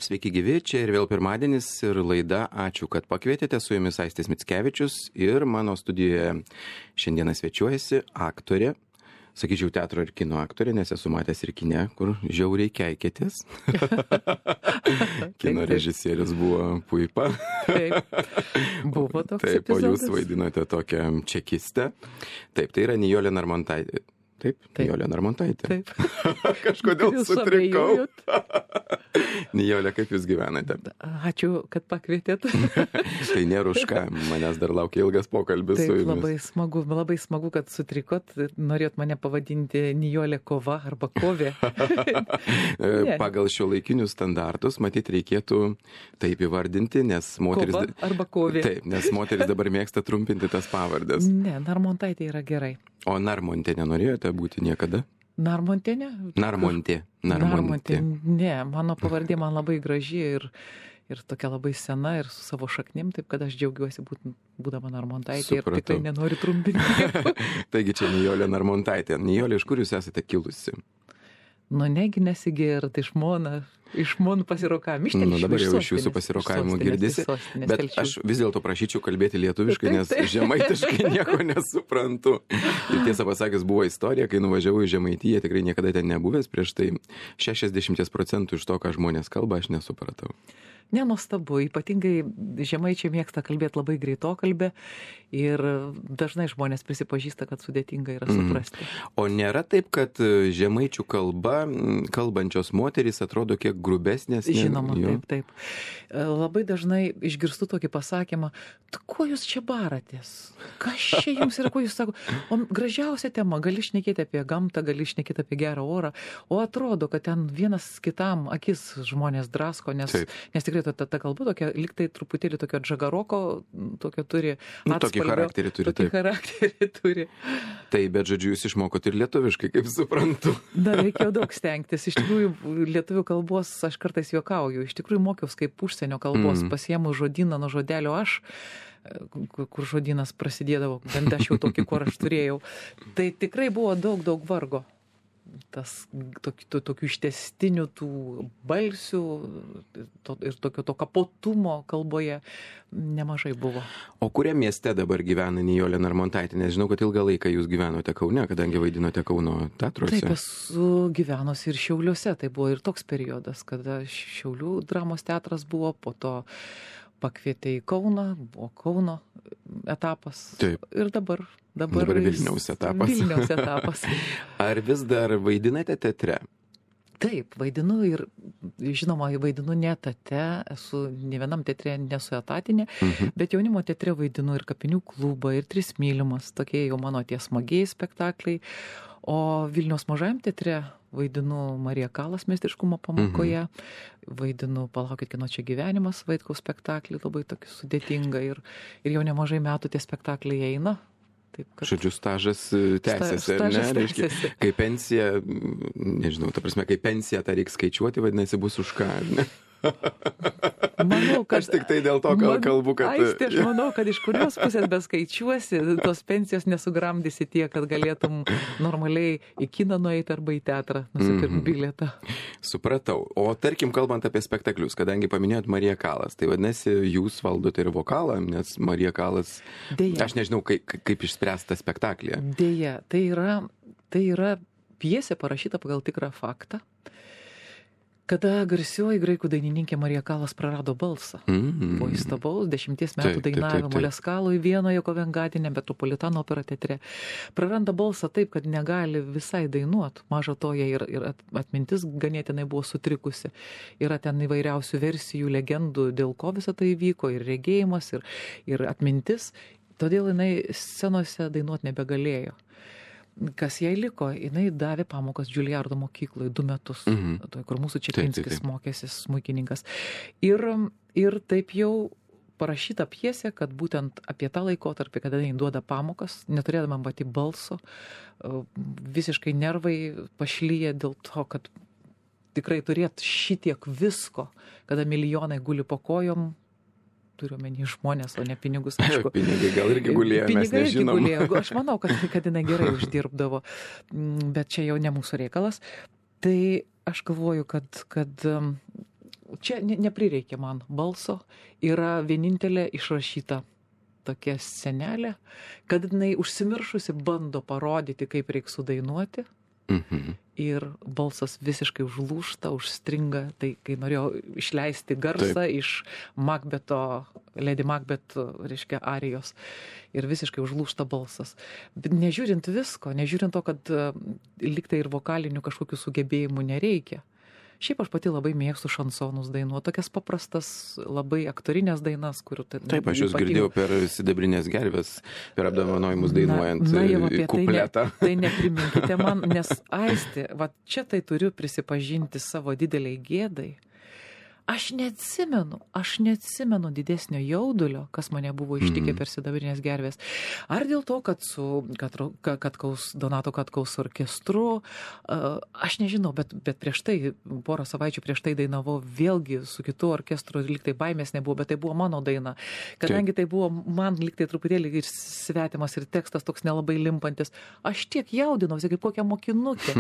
Sveiki gyvi, čia ir vėl pirmadienis ir laida Ačiū, kad pakvietėte, su jumis Aistis Mickevičius ir mano studijoje šiandieną svečiuojasi aktorė, sakyčiau teatro ir kino aktorė, nes esu matęs ir kine, kur žiauriai keikėtės. Kino režisierius buvo Puipa. Taip, buvo toks Taip, o epizodas. jūs vaidinote tokią čekistę. Taip, tai yra Nijolė Narmontaitė. Taip, Nijolė Narmontaitė. Taip. Kažkodėl Jūs sutrikau. abejojot? Nijolė, kaip jūs gyvenate? Ačiū, kad pakvietėt. Tai nėra už ką, manęs dar laukia ilgas pokalbis su Taip, jumis. labai smagu, kad sutrikot. Norėjot mane pavadinti Nijolė Kova arba Kovė. Ne. Pagal šiuolaikinius standartus, matyt, reikėtų taip įvardinti, nes moteris... Kova arba Kovė. Taip, nes moteris dabar mėgsta trumpinti tas pavardės. Ne, Narmontaitė yra gerai. O Narmontė nenorėjote būti niekada? Narmontė ne? Narmontė. Ne, mano pavardė man labai graži ir tokia labai sena ir su savo šaknim, taip kad aš džiaugiuosi būdama Narmontaitė ir Supratau. tikrai nenoriu trumpinti. Taigi čia Nijolė Narmontaitė. Nijolė, iš kur jūs esate kilusi? Nu, negi nesigėrt iš Monų pasirokavimų. Dabar jau iš jūsų pasirokavimų girdisi, bet aš vis dėlto prašyčiau kalbėti lietuviškai, nes žemaitiškai nieko nesuprantu. Ir tiesą pasakius, buvo istorija, kai nuvažiavau į Žemaitiją, tikrai niekada ten nebuvęs, prieš tai 60% iš to, ką žmonės kalba, aš nesupratau. Nenuostabu, ypatingai žemaičiai mėgsta kalbėti labai greitokalbę ir dažnai žmonės prisipažįsta, kad sudėtinga yra suprasti. O nėra taip, kad žemaičių kalba, kalbančios moterys atrodo kiek grubesnės? Žinoma, taip. Labai dažnai išgirstu tokį pasakymą, kuo jūs čia baratės? Kas čia jums yra, kuo jūs sako? O gražiausia tema, gali šnekėti apie gamtą, gali šnekėti apie gerą orą, o atrodo, kad ten vienas kitam akis žmonės drasko, nes tikrai ta kalba tokia, liktai truputėlį tokio džagaroko, tokio turi atspalvio. Tokį charakterį turi. Tokį charakterį turi. Tai, bet žodžiu, jūs išmokot ir lietuviškai, kaip suprantu. Reikėjo daug stengtis. Iš tikrųjų, lietuvių kalbos aš kartais juokauju. Iš tikrųjų, mokiaus kaip užsienio kalbos, pasiėmu žodyną nuo žodelio aš, kur žodynas prasidėdavo, bent aš jau tokį, kur aš turėjau. Tai tikrai buvo daug vargo. Tas tokių ištęstinių tų balsių ir tokio kapotumo kalboje nemažai buvo. O kuriam mieste dabar gyvena Nijolė Narmontaitė? Nes žinau, kad ilgą laiką jūs gyvenote Kaune, kadangi vaidinote Kauno teatruose. Taip, esu gyvenusi ir Šiauliuose. Tai buvo ir toks periodas, kada Šiaulių dramos teatras buvo, po to pakvietė į Kauną, buvo Kauno etapas. Taip. Ir dabar Vilniaus etapas. Vilniaus etapas. Ar vis dar vaidinate teatre? Taip, vaidinu ir, žinoma, vaidinu ne etate, esu ne vienam teatre, nesu etatinė, bet jaunimo teatre vaidinu ir Kapinių klubą, ir Tris mylimas, tokie jau mano tie smagiai spektakliai. O Vilniaus mažajam teatre vaidinu Marija Kalas meistriškumo pamokoje, vaidinu Palaukit, kino čia gyvenimas, Vaitkaus spektaklį, labai tokį sudėtingą ir jau nemažai metų tie spektakliai eina. Taip, kad... Žodžiu, stažas tęsiasi, ar ne? Reiškia, kai pensija, nežinau, ta prasme, kai pensiją tą reikia skaičiuoti, vadinasi, bus už ką, ar ne? Manau, kad... Aš tik tai dėl to kalbu, kad... Aistė, aš manau, kad iš kurios pusės beskaičiuosi, tos pensijos nesugramdysi tiek, kad galėtum normaliai į kiną nueiti arba į teatrą, nusipirkti bilietą. Supratau. O tarkim, kalbant apie spektaklius, kadangi paminėjot Mariją Kalas, tai vadinasi, jūs valdote ir vokalą, nes Marija Kalas... Deja. Aš nežinau, kaip išspręsta spektaklė. Deja, tai yra pjesė parašyta pagal tikrą faktą, kada garsioji graikų dainininkė Marija Kalas prarado balsą. Po įstabaus 10 metų dainavimo Leskaloj Vienoje Kovengadine Metropolitano opera teatre. Praranda balsą taip, kad negali visai dainuot. Maža to, jai ir atmintis ganėtinai buvo sutrikusi. Yra ten įvairiausių versijų, legendų, dėl ko visą tai įvyko, ir regėjimas, ir atmintis. Todėl jinai scenose dainuot nebegalėjo. Kas jai liko, jinai davė pamokas Džiulijardo mokykloje 2 metus, kur mūsų Čepinskis mokėsi smuikininkas. Ir taip jau parašyta pjesė, kad būtent apie tą laikotarpį, kada jinai duoda pamokas, neturėdama pati balso, visiškai nervai pašlyja dėl to, kad tikrai turėt šitiek visko, kada milijonai guli po kojom, turiu omeny žmonės, o ne pinigus, aišku. Pinigai gal irgi gulėjo, mes nežinom. Pinigai irgi gulėjo. Aš manau, kad jinai gerai uždirbdavo, bet čia jau ne mūsų reikalas. Tai aš galvoju, kad čia neprireikė man balso, yra vienintelė išrašyta tokia senelė, kad jinai užsimiršusi bando parodyti, kaip reikia sudainuoti. Ir balsas visiškai užlūžta, užstringa, tai kai norėjau išleisti garsą iš Lady Macbeth, reiškia, arijos, ir visiškai užlūžta balsas. Bet nežiūrint visko, nežiūrint to, kad liktai ir vokalinių kažkokių sugebėjimų nereikia. Šiaip aš pati labai mėgstu šansonus dainuoti, tokias paprastas, labai aktorinės dainas, kurių... Taip, aš jūs girdėjau per Sidabrinės gervės, per apdovanojimus dainuojant kupletą. Tai nepriminkite man, nes Aistė, va čia tai turiu prisipažinti savo dideliai gėdai. Aš neatsimenu didesnio jaudulio, kas mane buvo ištikę per Sidabrinės gervės. Ar dėl to, kad su Donato Katkaus orkestru, aš nežinau, bet prieš tai, porą savaičių prieš tai dainavau vėlgi su kitu orkestru, lyg tai baimės nebuvo, bet tai buvo mano daina. Kadangi tai buvo man lyg tai truputėlį ir svetimas ir tekstas toks nelabai limpantis, aš tiek jaudinausi kaip kokia mokinukė.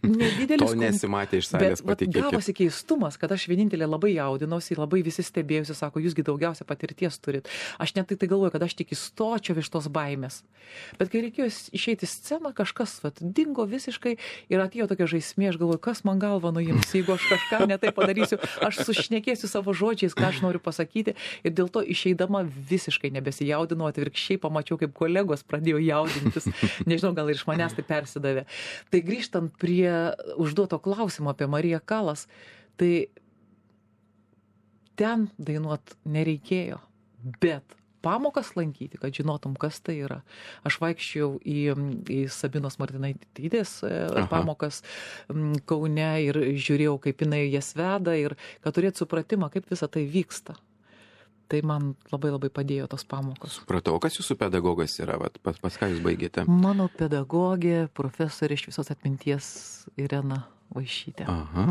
Nedidelis. To nesimatė iš salės, patikėkit. Bet gavosi keistumas, kad aš vienintelė labai jaudinausi, labai visi stebėjusi, sako, jūsgi daugiausia patirties turit. Aš net tai galvoju, kad aš tik įstočiau iš tos baimės. Bet kai reikėjo išeiti į sceną, kažkas dingo visiškai ir atėjo tokia žaismė, aš galvoju, kas man galvą nuims, jeigu aš kažką netai padarysiu, aš sušnekėsiu savo žodžiais, ką aš noriu pasakyti, ir dėl to išeidama visiškai nebesijaudinau, atvirkščiai pamačiau, kaip kolegos pradėjo jaudintis. Nežinau, gal ir iš manęs tai persidavė. Tai grįžtant prie užduoto klausimo apie Mariją Kalas, tai ten dainuot nereikėjo, bet pamokas lankyti, kad žinotum, kas tai yra. Aš vaikščiau į Sabinos Martinaitytės pamokas Kaune ir žiūrėjau, kaip jinai jas veda ir kad turėt supratimą, kaip visa tai vyksta. Tai man labai labai padėjo tos pamokos. Supratau, kas jūsų pedagogas yra? Pas ką jūs baigėte? Mano pedagogė, profesorė šviesos atminties Irena Vaišytė. Aha.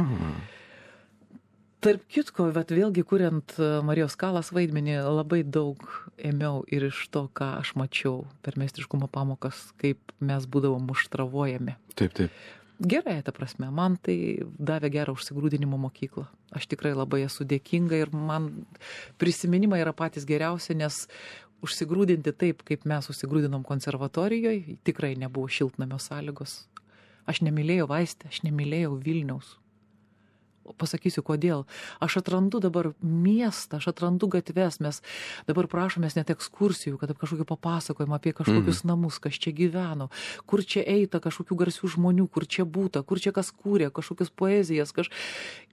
Tarp kitko, bet vėlgi kuriant Marijos Kalas vaidmenį, labai daug ėmiau ir iš to, ką aš mačiau per meistriškumo pamokas, kaip mes būdavom muštravojami. Taip. Gerai, ta prasme, man tai davė gerą užsigrūdinimo mokyklą. Aš tikrai labai esu dėkinga ir man prisiminimai yra patys geriausi, nes užsigrūdinti taip, kaip mes užsigrūdinom konservatorijoje, tikrai nebuvo šiltnamio sąlygos. Aš nemylėjau Aistę, aš nemylėjau Vilniaus. Pasakysiu, kodėl. Aš atrandu dabar miestą, aš atrandu gatves, mes dabar prašomės net ekskursijų, kad kažkokio papasakojimo apie kažkokius namus, kas čia gyveno, kur čia eita kažkokių garsių žmonių, kur čia būta, kur čia kas kūrė, kažkokius poezijas.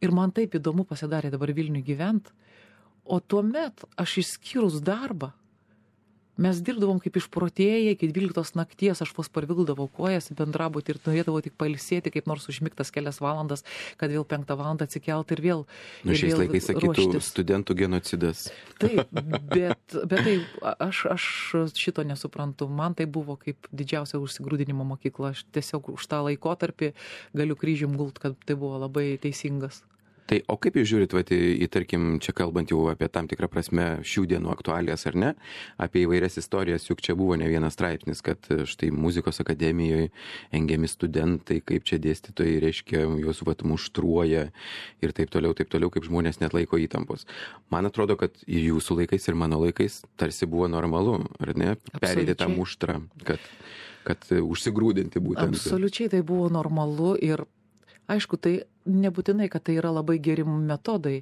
Ir man taip įdomu pasidarė dabar Vilniui gyvent. O tuomet aš išskyrus darbą, mes dirbdavom kaip išprotėjai, iki 12 nakties aš vos parvildavau kojas į bendrabutį ir norėdavau tik pailsėti, kaip nors užmigtas kelias valandas, kad vėl 5 valandą atsikelt ir vėl ruoštis. Šiais laikais sakytų studentų genocidas. Taip, bet tai aš šito nesuprantu. Man tai buvo kaip didžiausia užsigrūdinimo mokykla. Aš tiesiog už tą laikotarpį galiu kryžium gult, kad tai buvo labai teisingas. Tai o kaip jūs žiūrit, tarkim, čia kalbant jau apie tam tikrą prasme šių dienų aktualijas, ar ne, apie įvairias istorijas, juk čia buvo ne vienas straipsnis, kad štai muzikos akademijoje engiami studentai, kaip čia dėstytojai, reiškia, juos muštruoja ir taip toliau, kaip žmonės net laiko įtampos. Man atrodo, kad ir jūsų laikais, ir mano laikais tarsi buvo normalu, ar ne, perėti tą muštrą, kad užsigrūdinti būtent. Absoliučiai tai buvo normalu ir aišku, tai nebūtinai, kad tai yra labai geri metodai.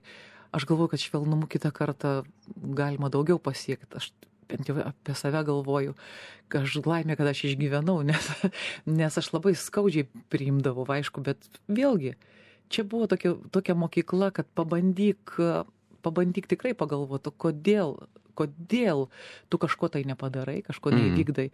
Aš galvoju, kad švelnumu kitą kartą galima daugiau pasiekti. Aš bent jau apie save galvoju, kad aš laimė, kad aš išgyvenau, nes aš labai skaudžiai priimdavau, aišku, bet vėlgi, čia buvo tokia mokykla, kad pabandyk tikrai pagalvoti, kodėl tu kažko tai nepadarai, kažko neįvykdai.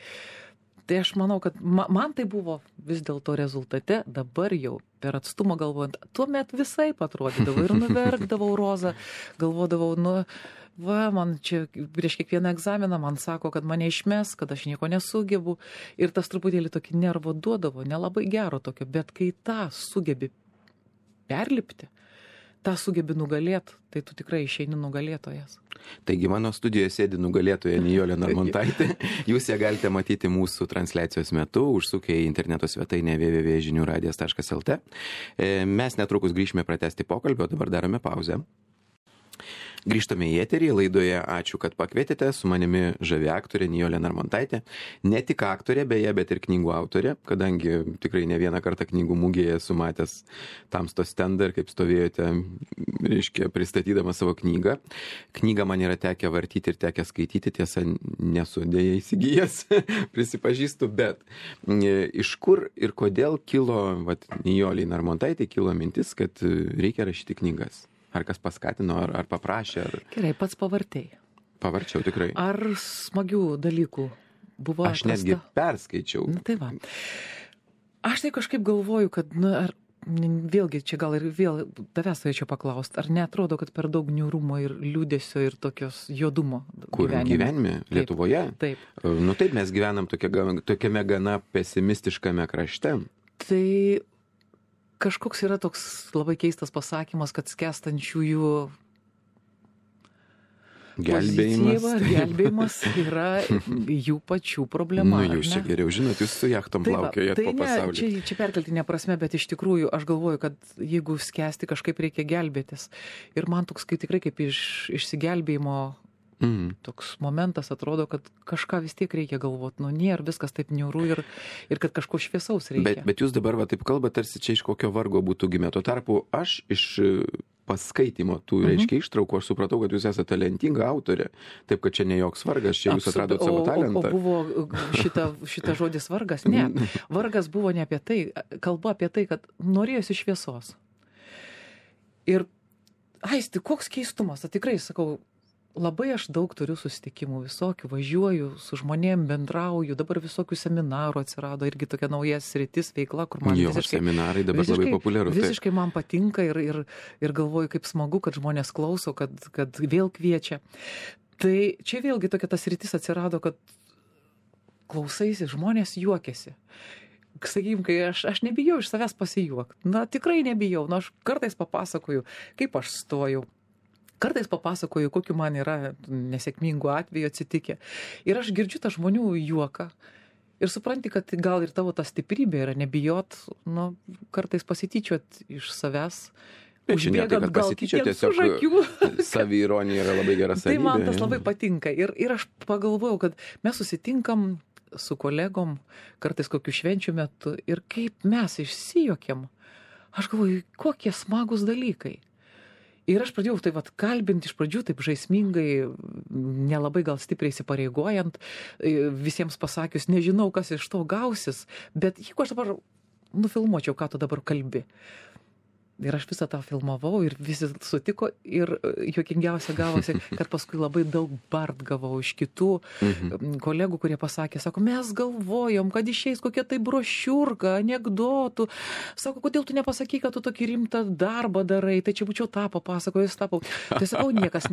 Tai aš manau, kad man tai buvo vis dėlto rezultate, dabar jau per atstumą galvojant, tuomet visai atrodydavo ir nuverkdavau rozą, galvodavau, man čia prieš kiekvieną egzaminą man sako, kad mane išmes, kad aš nieko nesugebu ir tas truputėlį tokį nervo duodavo, nelabai gero tokio, bet kai tą sugebi perlipti, tą sugebi nugalėti, tai tu tikrai išeini nugalėtojas. Taigi mano studijoje sėdi nugalėtoja Nijolė Narmontaitė. Jūs ją galite matyti mūsų transliacijos metu, užsukę į interneto svetainę www.žiniuradijas.lt. Mes netrukus grįšime pratęsti pokalbio, dabar darome pauzę. Grįžtame į eterį, laidoje ačiū, kad pakvietėte, su manimi žavi aktorė Nijolė Narmontaitė. Ne tik aktorė, beje, bet ir knygų autorė, kadangi tikrai ne vieną kartą knygų mugėje esu matęs tamsto stendą ir kaip stovėjote, reiškia, pristatydama savo knygą. Knygą man yra tekę vartyti ir tekę skaityti, tiesa, nesu dėja įsigijęs, prisipažįstu, bet iš kur ir kodėl kilo, Nijolei Narmontaitė kilo mintis, kad reikia rašyti knygas? Ar kas paskatino, ar paprašė? Gerai, pats pavartėjai. Pavarčiau, tikrai. Ar smagių dalykų buvo? Aš netgi perskaičiau. Tai va. Aš tai kažkaip galvoju, kad, vėlgi, čia gal ir vėl tavęs norėčiau paklausti, ar neatrodo, kad per daug niūrumo ir liūdesio ir tokios juodumo gyvenime? Lietuvoje? Taip. Taip, mes gyvenam tokiame gana pesimistiškame krašte. Tai kažkoks yra toks labai keistas pasakymas, kad skęstančiųjų gelbėjimas yra jų pačių problema. Jūs čia geriau žinot, jūs su jachtom plaukiojat po pasaulį. Čia perkeltinė prasme, bet iš tikrųjų aš galvoju, kad jeigu skęsti, kažkaip reikia gelbėtis. Ir man toks tikrai kaip išsigelbėjimo toks momentas atrodo, kad kažką vis tiek reikia galvoti. Nėra viskas taip niūru ir kad kažko šviesaus reikia. Bet jūs dabar taip kalbate, tarsi čia iš kokio vargo būtų gimę. Tuo tarpu aš iš paskaitimo tų, reiškia, ištraukų, aš supratau, kad jūs esate talentinga autorė. Taip, kad čia ne joks vargas, čia jūs atradot savo talentą. O buvo šita žodis vargas? Ne. Vargas buvo ne apie tai. Kalba apie tai, kad norėjosi šviesos. Ir, Aisti, koks keistumas. Tikrai, sakau, labai aš daug turiu susitikimų visokių, važiuoju, su žmonėm bendrauju, dabar visokių seminarų atsirado, irgi tokia nauja sritis veikla, kur man seminarai dabar labai populiaru. Visiškai man patinka ir galvoju, kaip smagu, kad žmonės klauso, kad vėl kviečia. Tai čia vėlgi tokia tas sritis atsirado, kad klausaisi, žmonės juokiasi. Sakykim, kai aš nebijau iš savęs pasijuokti. Tikrai nebijau. Aš kartais papasakoju, kaip aš stojau. Kartais papasakoju, kokiu man yra nesėkmingų atvejų atsitikę. Ir aš girdžiu tą žmonių juoką. Ir supranti, kad gal ir tavo ta stiprybė yra nebijot, kartais pasityčiot iš savęs. Užbėgant gal kitiems už akių. Saviironija yra labai gera savybė. Tai man tas labai patinka. Ir aš pagalvojau, kad mes susitinkam su kolegom, kartais kokių švenčių metu. Ir kaip mes išsijuokėm. Aš galvoju, kokie smagus dalykai. Ir aš pradėjau kalbinti iš pradžių taip žaismingai, nelabai gal stipriai įsipareigojant, visiems pasakius, nežinau, kas iš to gausis, bet jeigu aš dabar nufilmuočiau, ką tu dabar kalbi. Ir aš visą tą filmavau ir visi sutiko ir juokingiausia gavosi, kad paskui labai daug bart gavau iš kitų kolegų, kurie pasakė, sako, mes galvojom, kad išeis kokia tai brošiurka, anekdotų. Sako, kodėl tu nepasakai, kad tu tokį rimtą darbą darai, tai čia būčiau tą papasakojęs, tapau. Tai sakau, niekas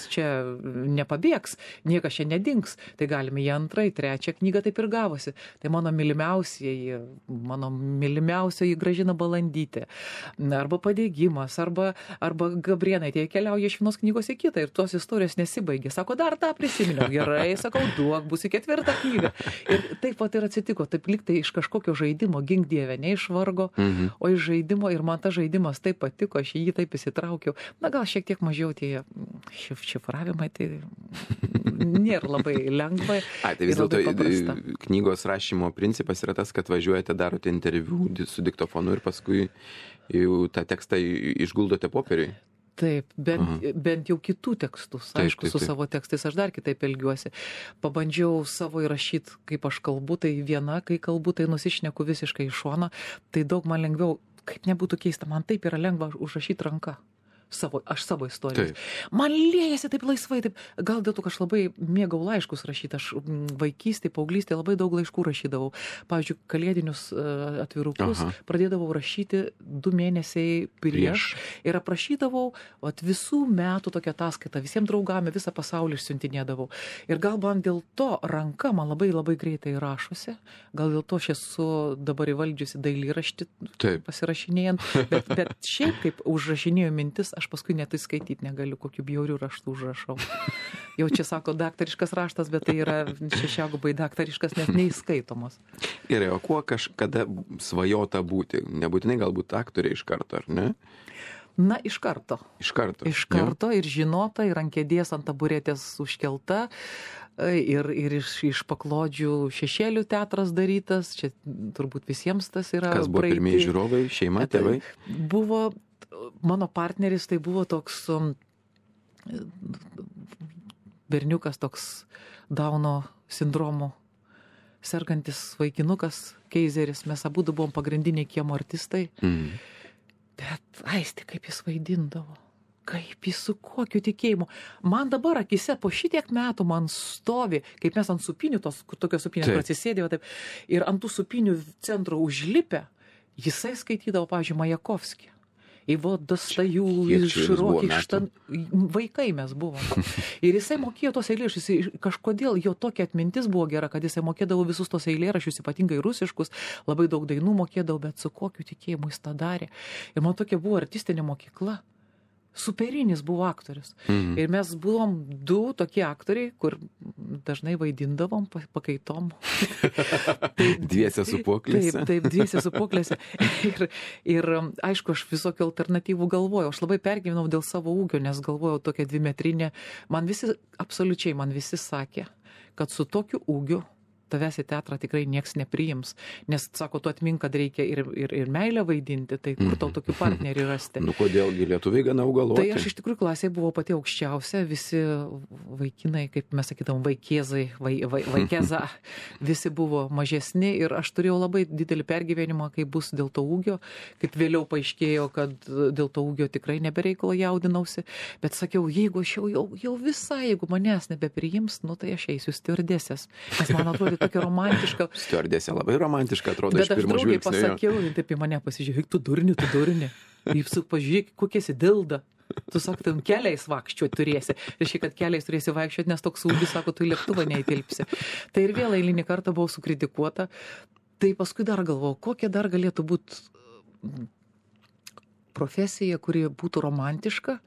čia nepabėgs, niekas čia nedings. Tai galime į antrąją, trečią knygą taip ir gavosi. Tai mano mylimiausioji Gražina Balandytė. Arba Padėgimas, arba Gabrėnaitė keliauja iš vienos knygos į kitą ir tos istorijos nesibaigė. Sako, dar tą prisiminiau. Gerai, sakau, duok, bus į 4. knygą. Ir taip pat ir atsitiko, taip lyg tai iš kažkokio žaidimo, gink Dieve, ne iš vargo, o iš žaidimo ir man tas žaidimas taip patiko, aš jį taip įsitraukiau. Gal šiek tiek mažiau tie šifravimai, tai nėra labai lengva. Tai vis dėlto knygos rašymo principas yra tas, kad važiuojate, darote interviu su diktofonu ir paskui jau tą tekstą išguldote popieriui. Taip, bent jau kitų tekstus. Aišku, su savo tekstais aš dar kitaip elgiuosi. Pabandžiau savo įrašyti, kaip aš kalbu, tai viena, kai kalbu, tai nusišneku visiškai iš šono. Tai daug man lengviau, kaip nebūtų keista, man taip yra lengva užrašyti ranką. Aš savo istorijas. Man liejasi taip laisvai, taip, gal dėl to, kad aš labai mėgau laiškus rašyti, aš vaikystėje, paauglystėje labai daug laiškų rašydavau. Pavyzdžiui, kalėdinius atvirukus pradėdavau rašyti 2 mėnesiai prieš ir aprašydavau visų metų tokią ataskaitą, visiems draugami, visą pasaulį išsiuntinėdavau. Ir gal man dėl to ranka man labai labai greitai rašosi, gal dėl to aš esu dabar įvaldžiusi dailėraštį pasirašinėjant, bet šiaip kaip užrašinėjau mintis, aš paskui net įskaityti negaliu, kokiu bjauriu raštu užrašau. Jau čia sako daktariškas raštas, bet tai yra šešiagubai daktariškas, net neįskaitomos. Gerai, o kuo kažkada svajota būti? Nebūtinai galbūt aktorė iš karto, ar ne? Na, iš karto. Iš karto. Iš karto ir žinota, ir ant kėdės, ant taburetės užkelta, ir iš paklodžių šešėlių teatras darytas. Čia turbūt visiems tas yra. Kas buvo pirmieji žiūrovai, šeima, tėvai? Buvo, mano partneris tai buvo toks berniukas, toks Dauno sindromu sergantis vaikinukas, Keizeris. Mes abudu buvom pagrindiniai kiemo artistai. Bet Aistė, kaip jis vaidindavo, kaip jis su kokiu tikėjimu. Man dabar akise po šitiek metų man stovi, kaip mes ant supinių, tokios supinės atsisėdėjo taip, ir ant tų supinių centro užlipę, jisai skaitydavo, pavyzdžiui, Majakovskį. Ivo Dostojevskį, Širokį, vaikai mes buvom. Ir jisai mokėjo tos eilėraščius, kažkodėl jo tokia atmintis buvo gera, kad jisai mokėdavo visus tos eilėraščius, ypatingai rusiškus, labai daug dainų mokėdavo, bet su kokiu tikėjimu jis tą darė. Ir man tokia buvo artistinė mokykla. Superinis buvo aktorius. Ir mes buvom du tokie aktoriai, kur dažnai vaidindavom pakaitom. Dviese sūpuoklėse. Taip, dviese sūpuoklėse. Ir aišku, aš visokių alternatyvų galvojau. Aš labai pergyvenau dėl savo ūgio, nes galvojau tokia 2-metrinė. Absoliučiai man visi sakė, kad su tokiu ūgiu tavęs į teatrą tikrai nieks nepriims. Nes, sako, tu atmink, kad reikia ir meilę vaidinti, tai kur tau tokių partnerių rasti? Nu, kodėlgi lietuviai gana augaloti? Tai aš iš tikrųjų klasėje buvau pati aukščiausia, visi vaikinai, kaip mes sakydavom, vaikėzai, vaikėza, visi buvo mažesni ir aš turėjau labai didelį pergyvenimą, kai bus dėl to ūgio, kaip vėliau paaiškėjo, kad dėl to ūgio tikrai nebereikalo jaudinausi, bet sakiau, jeigu aš jau visai, jeigu manęs nebepriims, nu tai aš eisiu stiuardesės, nes man atrodo tokia romantiška. Stiuardesė labai romantiška atrodo iš pirmo žvilgsnio. Bet aš draugiai pasakiau, taip į mane pasižiūrėk, tu durni. Jūs pažiūrėk, kokia esi dilda. Tu sakai, keliais vaikščioti turėsi. Reiškia, kad keliais turėsi vaikščioti, nes toks ūgis, sako, tu į lėktuvą neįtilpsi. Tai ir vėl eilinį kartą buvau sukritikuota. Tai paskui dar galvojau, kokia dar galėtų būti profesija, kuri būtų romantiška,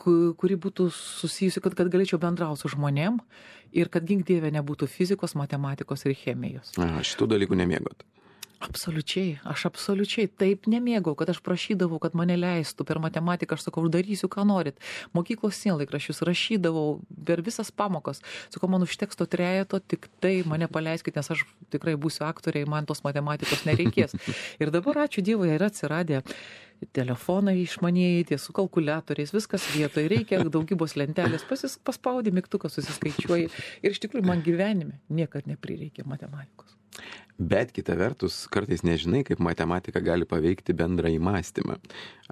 kuri būtų susijusi, kad galėčiau bendrauti su žmonėm ir kad gink dieve nebūtų fizikos, matematikos ir chemijos. Šitų dalykų nemėgot? Absoliučiai. Aš absoliučiai taip nemėgau, kad aš prašydavau, kad mane leistų per matematiką, aš sakau, darysiu, ką norit. Mokyklos sienlaikraščius rašydavau per visas pamokas. Sakau, man užteks to trejeto, tik tai mane paleiskit, nes aš tikrai būsiu aktorė, man tos matematikos nereikės. Ir dabar, ačiū Dievui, yra atsiradę telefonai išmanieji, tie su kalkuliatoriais, viskas vietoje, reikia daugybos lentelės, paspaudi mygtuką, susiskaičiuoji. Ir iš tikrųjų man gyvenime niekad neprireikė matematikos. Bet kita vertus, kartais nežinai, kaip matematika gali paveikti bendrąjį mąstymą.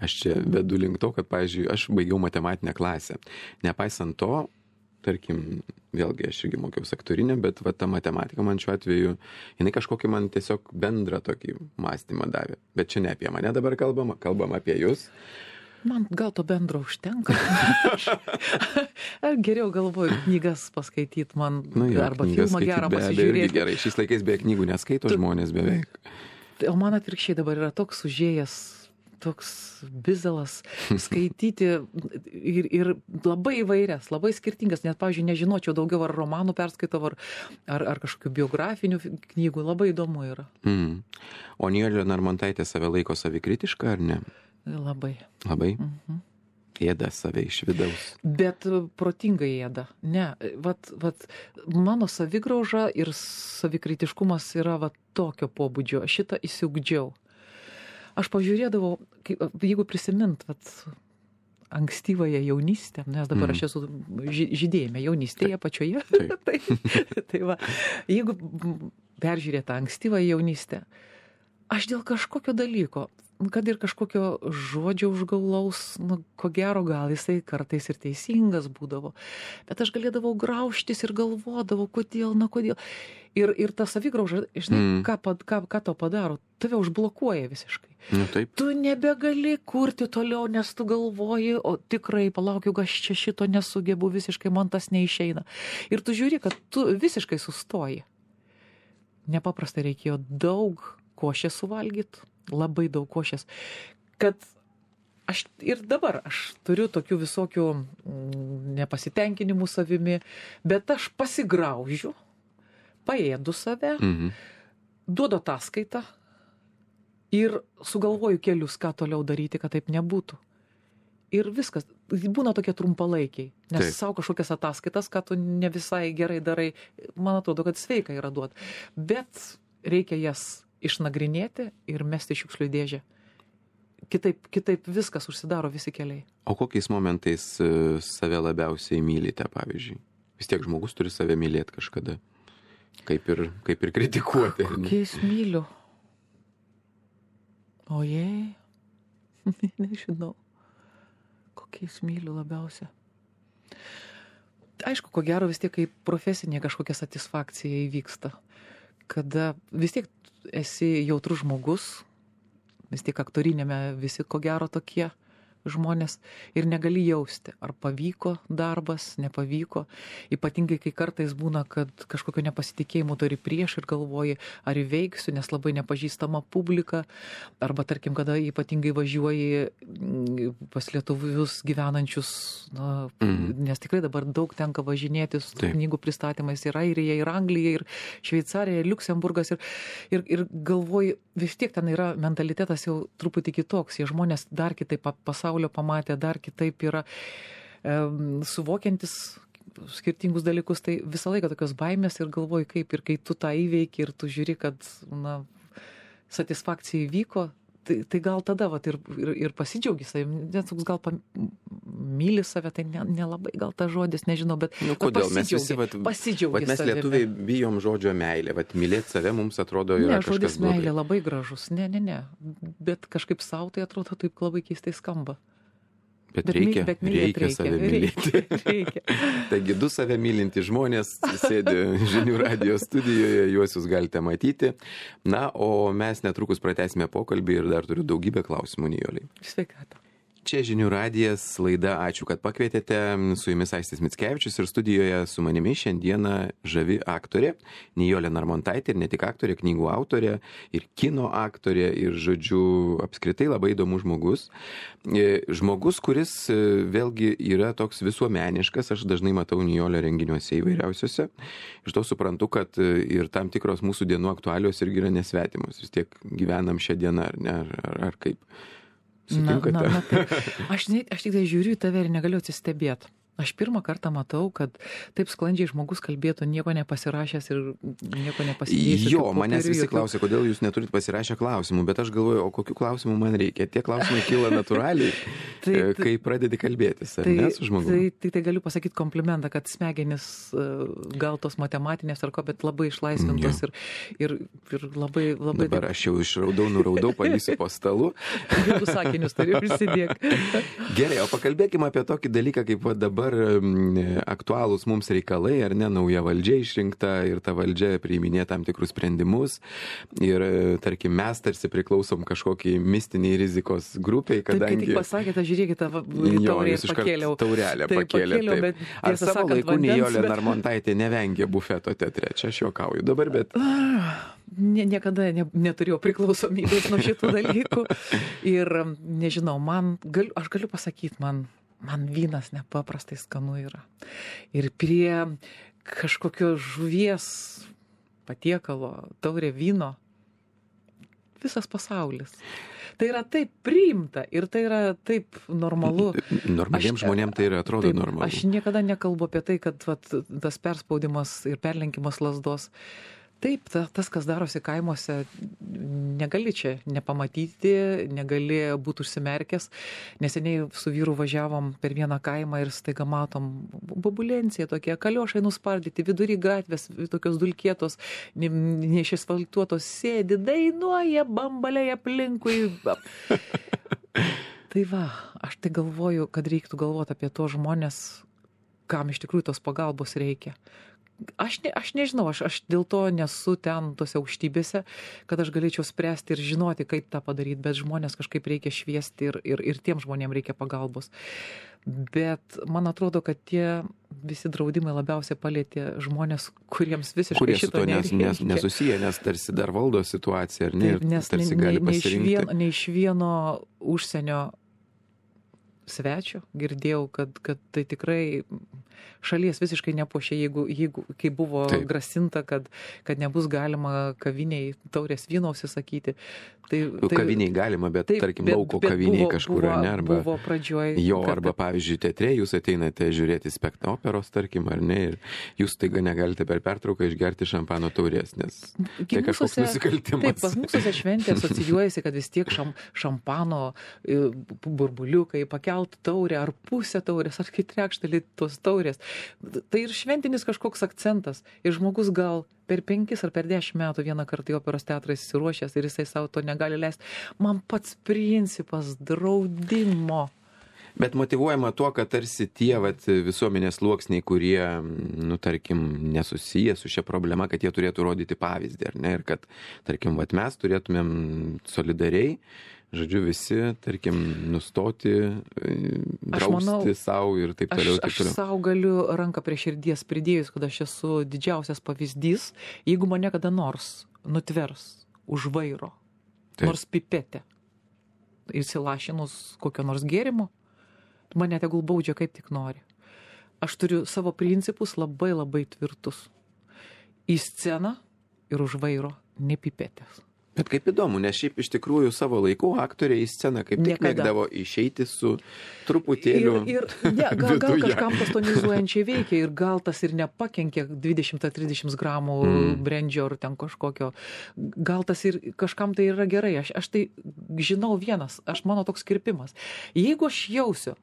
Aš čia vedu link to, kad, pavyzdžiui, aš baigiau matematinę klasę. Nepaisant to, tarkim, vėlgi aš irgi mokiausi aktorinę, bet va, ta matematika man šiuo atveju, jinai kažkokį man tiesiog bendrą tokį mąstymą davė. Bet čia ne apie mane dabar kalbam apie jūs. Man gal to bendro užtenka. Geriau galvoju knygas paskaityti man, arba filmą gerą pasižiūrėti. Gerai, šiais laikais beveik knygų neskaito žmonės beveik. O man atvirkščiai dabar yra toks užėjęs, toks bizalas skaityti ir labai įvairias, labai skirtingas, net, pavyzdžiui, nežinočiau daugiau ar romanų perskaitau, ar kažkokių biografinių knygų, labai įdomu yra. O Nijolė Narmontaitė save laiko savikritiška, ar ne? Labai. Labai? Ėda save iš vidaus. Bet protingai ėda. Ne, vat mano savigrauža ir savikritiškumas yra tokio pobūdžio. Šitą įsiugdžiau. Aš pažiūrėdavau, jeigu prisimint, ankstyvąją jaunystę, nes dabar aš esu žydėjime jaunystėje pačioje. Tai va, jeigu peržiūrėt tą ankstyvąją jaunystę, aš dėl kažkokio dalyko, kad ir kažkokio žodžio užgaulaus, ko gero gal jisai kartais ir teisingas būdavo, bet aš galėdavau graužtis ir galvodavau, kodėl. Ir ta savigrauža, žinai, ką to padaro, tave užblokuoja visiškai. Taip. Tu nebegali kurti toliau, nes tu galvoji, o tikrai palaukiu, aš čia šito nesugebu, visiškai man tas neišeina. Ir tu žiūri, kad tu visiškai sustoji. Nepaprastai reikėjo daug košės suvalgyti. Labai daug košės, kad ir dabar aš turiu tokių visokių nepasitenkinimų savimi, bet aš pasigraužiu, paėdu save, duodu ataskaitą ir sugalvoju kelius, ką toliau daryti, kad taip nebūtų. ir viskas. Būna tokie trumpalaikiai, nes savo kažkokias ataskaitas, ką tu ne visai gerai darai, man atrodo, kad sveika yra duoti. Bet reikia jas išnagrinėti ir mesti šiukšlių dėžę. Kitaip viskas užsidaro, visi keliai. O kokiais momentais save labiausiai mylite, pavyzdžiui? Vis tiek žmogus turi save mylėti kažkada. Kaip ir kritikuoti. Kokiais myliu? Ojei, nežinau. Kokiais myliu labiausia. Aišku, ko gero vis tiek, kai profesinė kažkokia satisfakcija įvyksta. Kada vis tiek esi jautrus žmogus, vis tiek aktorinėme visi ko gero tokie žmonės ir negali jausti, ar pavyko darbas, nepavyko. Ypatingai, kai kartais būna, kad kažkokio nepasitikėjimo turi prieš ir galvoji, ar įveiksiu, nes labai nepažįstama publika. Arba, tarkim, kada ypatingai važiuoji pas lietuvius gyvenančius, nes tikrai dabar daug tenka važinėti su knygų pristatymais ir Airija, ir Anglija, ir Šveicarija, ir Liuksemburgas. Ir galvoji, vis tiek ten yra mentalitetas jau truputį kitoks. Jie žmonės dar kitaip pasaulio pamatė, dar kitaip yra suvokiantis skirtingus dalykus. Tai visą laiką tokios baimės ir galvoji kaip. Ir kai tu tą įveiki ir tu žiūri, kad satisfakcija įvyko, tai gal tada ir pasidžiaugi savim. Net gal myli save, tai nelabai gal tas žodis, nežinau, bet kodėl mes visi pasidžiaugi mes savimi. Lietuviai bijom žodžio meilė, mylėti save mums atrodo yra kažkas blogai. Ne, žodis meilė labai gražus, ne, bet kažkaip savo tai atrodo taip labai keistai skamba. Bet reikia save mylėti. Reikia. Taigi 2 save mylinti žmonės sėdi Žinių radijo studijoje, juos jūs galite matyti. Na, o mes netrukus pratęsime pokalbį ir dar turiu daugybę klausimų Nijolei. Sveikata. Čia Žinių radijas, laida Ačiū, kad pakvietėte. Su jumis Aistis Mickevičius ir studijoje su manimi šiandieną žavi aktorė Nijolė Narmontaitė, ir ne tik aktorė, knygų autorė, ir kino aktorė, ir žodžiu, apskritai labai įdomus žmogus. Žmogus, kuris vėlgi yra toks visuomeniškas, aš dažnai matau Nijolę renginiuose įvairiausiose. Iš to suprantu, kad ir tam tikros mūsų dienų aktualios irgi yra nesvetimos. Vis tiek gyvenam šią dieną, ar ne, ar kaip. Tai. Aš tik tai žiūriu į tave ir negaliu atsistebėti. Aš pirmą kartą matau, kad taip sklandžiai žmogus kalbėtų, nieko nepasirašęs ir nieko nepasidėjęs. Jo, manęs visi klausia, kodėl jūs neturit pasirašę klausimų, bet aš galvoju, o kokių klausimų man reikia. Tie klausimai kyla natūraliai, kai pradedi kalbėtis, ar ne su žmogumi? Tai galiu pasakyti komplimentą, kad smegenis gal tos matematinės ar ko, bet labai išlaisvintos ir labai... Dabar aš jau nuraudau, palysiu po stalu. Jau sakinius turiu prisidėk. Gerai, o pakalbėkime apie tokį dalyką, kaip dabar aktualūs mums reikalai, ar ne, nauja valdžia išrinkta ir ta valdžia priiminė tam tikrus sprendimus ir, tarkim, mes tarsi priklausom kažkokiai mistiniai rizikos grupiai, kadangi... Taip, kai tik pasakėte, žiūrėkite, taurę ir pakėliau. Taurelę pakėlė, taip. Ar savo laiku Nijolė Narmontaitė nevengė bufeto teatre? Čia aš juokauju dabar, bet... Niekada neturėjau priklausomybės nuo šitų dalykų ir nežinau, aš galiu pasakyti, man vynas nepaprastai skanu yra. Ir prie kažkokio žuvies patiekalo, taurė vyno, visas pasaulis. Tai yra taip priimta ir tai yra taip normalu. Normaliems žmonėms tai yra atrodo normalu. Aš niekada nekalbu apie tai, kad tas perspaudimas ir perlenkimas lazdos. Taip, tas, kas darosi kaimuose, negali čia nepamatyti, negali būti užsimerkęs. Neseniai su vyru važiavom per vieną kaimą ir staiga matom bobulencija tokie, kaliošai nuspardyti, vidury gatvės, tokios dulkėtos, neišasfaltuotos, sėdi, dainuoja, bambaliai aplinkui. Tai va, aš tai galvoju, kad reiktų galvoti apie tos žmonės, kam iš tikrųjų tos pagalbos reikia. Aš nežinau, aš dėl to nesu ten tose aukštybėse, kad aš galėčiau spręsti ir žinoti, kaip tą padaryti, bet žmonės kažkaip reikia šviesti ir tiem žmonėms reikia pagalbos. Bet man atrodo, kad tie visi draudimai labiausiai palėtė žmonės, kuriems visiškai šito nereikia. Kurie su to nesusiję, nes tarsi dar valdo situaciją, ar ne? Taip, nes tarsi gali pasirinkti. Ne iš vieno užsienio svečio girdėjau, kad tai tikrai šalies visiškai nepuošia, jeigu kai buvo grasinta, kad nebus galima kaviniai taurės vyno užsisakyti. Kaviniai galima, bet tarkim lauko kaviniai kažkur, ne? Arba buvo pradžioj. Arba pavyzdžiui, teatre jūs ateinate žiūrėti operos, tarkim, ar ne, ir jūs taiga negalite per pertrauką išgerti šampano taurės, nes tai kažkoks nusikaltimas. Taip, pas mūsų šventė asocijuojasi, kad vis tiek šampano burbuliukai, pakelt taurę, ar pusę taurės, ar kai trečdalį tos taurės. Tai ir šventinis kažkoks akcentas. Ir žmogus gal per 5 ar per 10 metų vieną kartą į operos teatrą įsiruošęs ir jisai savo to negali leisti. Man pats principas draudimo. Bet motyvuojama tuo, kad tarsi tie visuomenės sluoksniai, kurie, tarkim, nesusiję su šia problema, kad jie turėtų rodyti pavyzdį, ar ne? Ir kad, tarkim, mes turėtumėm solidariai, žodžiu, visi, tarkim, nustoti, drausti savo ir taip toliau. Aš savo galiu ranką prie širdies pridėjus, kad aš esu didžiausias pavyzdys, jeigu mane kada nors nutvers už vairo, nors pipetė, įsilašinus kokio nors gėrimo, mane tegul baudžia kaip tik nori. Aš turiu savo principus labai labai tvirtus. Į sceną ir už vairo nepipetės. Bet kaip įdomu, nes šiaip iš tikrųjų savo laiku aktoriai į sceną kaip tik mėgdavo išeiti su truputėliu gal kažkam tas tonizuojančiai veikia ir gal tas ir nepakenkia 20-30 gramų brendžio ar ten kažkokio. Gal tas ir kažkam tai yra gerai. Aš tai žinau vienas, mano toks kirpimas. Jeigu aš jausiu,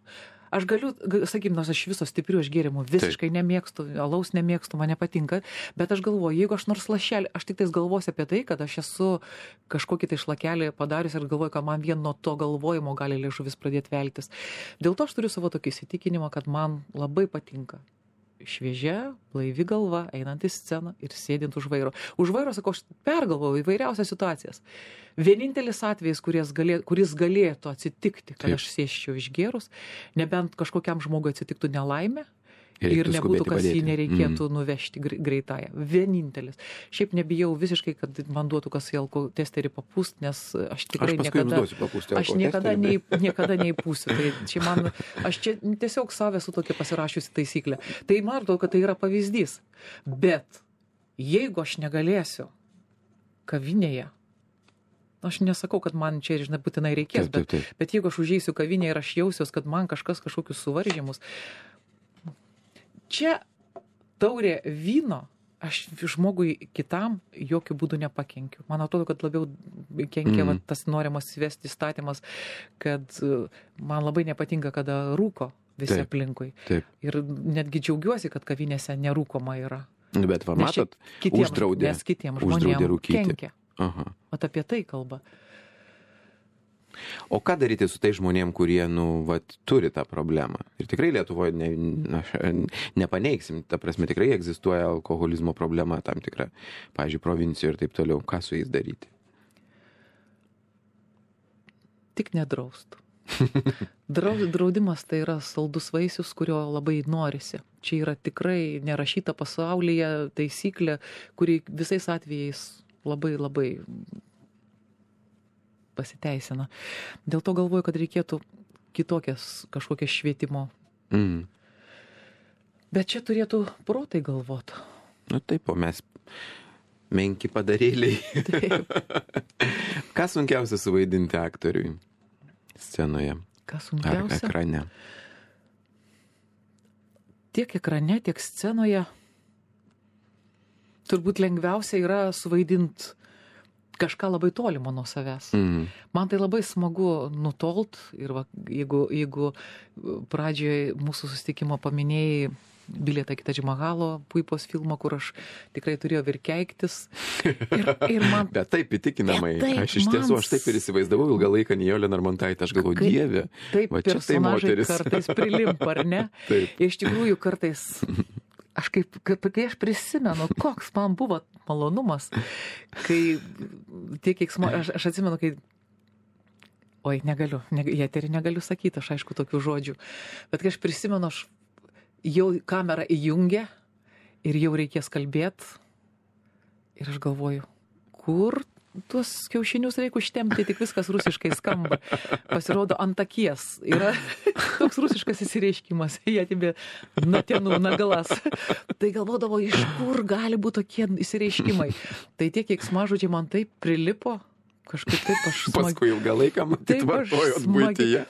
aš galiu, sakykim, nors aš viso stiprių aš gėrimų visiškai nemėgstu, alaus nemėgstu, man nepatinka, bet aš galvoju, jeigu aš nors lašelį, aš tik tais galvosiu apie tai, kad aš esu kažkokį tai šlakelį padarius ir galvoju, kad man vien nuo to galvojimo gali liežuvis pradėti veltis. Dėl to aš turiu savo tokį įsitikinimą, kad man labai patinka šviežia, blaivi galva, einant į sceną ir sėdint už vairo. Už vairo, sakau, aš pergalvoju įvairiausias situacijas. Vienintelis atvejis, kuris galėtų atsitikti, kad aš sėsčiau išgėrus, nebent kažkokiam žmogui atsitiktų nelaimė ir nebūtų, kas jį nereikėtų nuvežti greitąją. Vienintelis. Šiaip nebijau visiškai, kad man duotų kas į alkotesterį papūst, nes aš tikrai niekada neįpūsiu. Tai čia aš čia tiesiog savę su tokia pasirašiusi taisyklę. Tai man atrodo, kad tai yra pavyzdys. Bet jeigu aš negalėsiu kavinėje, aš nesakau, kad man čia, žinai, būtinai reikės, bet jeigu aš užeisiu kavinėje ir aš jausiuos, kad man kažkokius suvaržymus, čia taurė vyno, aš žmogui kitam jokių būdų nepakenkiu. Man atrodo, kad labiau kenkia tas norimas įvesti įstatymas, kad man labai nepatinka, kada rūko visi aplinkui. Ir netgi džiaugiuosi, kad kavinėse nerūkoma yra. Bet matot, uždraudė žmonėms kenkia. Vat apie tai kalba. O ką daryti su tai žmonėm, kurie, turi tą problemą? Ir tikrai Lietuvoje nepaneigsim, ta prasme tikrai egzistuoja alkoholizmo problema tam tikra, pavyzdžiui, provincijoje ir taip toliau. Ką su jais daryti? Tik nedraust. Draudimas tai yra saldus vaisius, kurio labai norisi. Čia yra tikrai nerašyta pasaulyje taisyklė, kuri visais atvejais labai labai pasiteisina. Dėl to galvoju, kad reikėtų kitokias kažkokias švietimo. Bet čia turėtų protai galvot. Taip, o mes menki padarėliai. Ką sunkiausia suvaidinti aktoriui scenoje? Ką sunkiausia? Ar ekrane? Tiek ekrane, tiek scenoje turbūt lengviausia yra suvaidinti kažką labai tolimo nuo savęs. Man tai labai smagu nutolt ir jeigu pradžioje mūsų susitikimo paminėjai Bilietą į Tadž Mahalo puipos filmą, kur aš tikrai turėjau ir keiktis. Ir man... Bet taip įtikinamai. Aš iš tiesų, aš taip ir įsivaizdavau ilgą laiką Nijolę Narmontaitę. Aš galvoju, Dieve, va čia tai moteris. Kartais prilimpa, ar ne? Taip. Iš tikrųjų, kartais... Kai aš prisimenu, koks man buvo malonumas, kai aš atsimenu, kai negaliu, eterį negaliu sakyti, aš aišku tokių žodžių, bet kai aš prisimenu, aš jau kamerą įjungia ir jau reikės kalbėti ir aš galvoju, kur tuos kiaušinius reikia užtempti, tik viskas rusiškai skamba. Pasirodo, ant akies yra toks rusiškas įsireiškimas, jie atibė natienų nagalas. Tai galvodavo, iš kur gali būti tokie įsireiškimai. Tai tie keiksmažodžiai man taip prilipo, kažkaip taip aš paskui ilgą laiką matyt vartojot buityje.